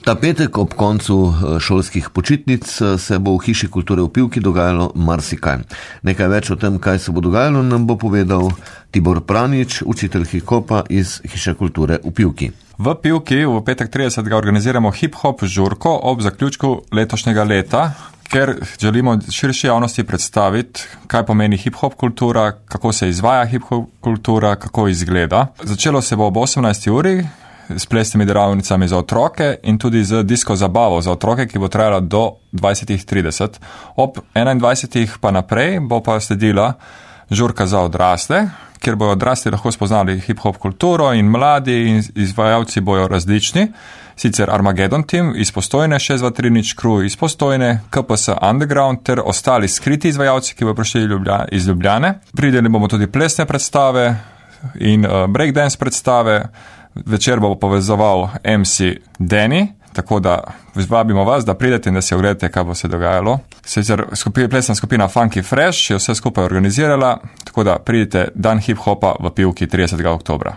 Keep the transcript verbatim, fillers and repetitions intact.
Ta petek ob koncu šolskih počitnic se bo v Hiši kulture v Pivki dogajalo marsikaj. Nekaj več o tem, kaj se bo dogajalo, nam bo povedal Tibor Pranič, učitelj hip-hopa iz Hiše kulture v Pivki. V Pivki v petek tridesetega organiziramo hip-hop žurko ob zaključku letošnjega leta, ker želimo širši javnosti predstaviti, kaj pomeni hip-hop kultura, kako se izvaja hip-hop kultura, kako izgleda. Začelo se bo ob osemnajsti uri s plesnimi delavnicami za otroke in tudi z disko zabavo za otroke, ki bo trajala do dvajset trideset. Ob enaindvajsetih pa naprej bo pa sledila žurka za odrasle, kjer bojo odrasli lahko spoznali hip-hop kulturo in mladi in izvajalci bojo različni. Sicer Armageddon Team iz Postojne, šest dva tri nič crew iz Postojne, K P S Underground ter ostali skriti izvajalci, ki bojo prišli iz Ljubljane. Prideli bomo tudi plesne predstave in uh, breakdance predstave. Večer bo povezoval em si Danny, tako da vabimo vas, da pridete in da si ogledate, kaj bo se dogajalo. Sicer skupina, plesna skupina Funky Fresh je vse skupaj organizirala, tako da pridite dan hip-hopa v Pivki tridesetega oktobra.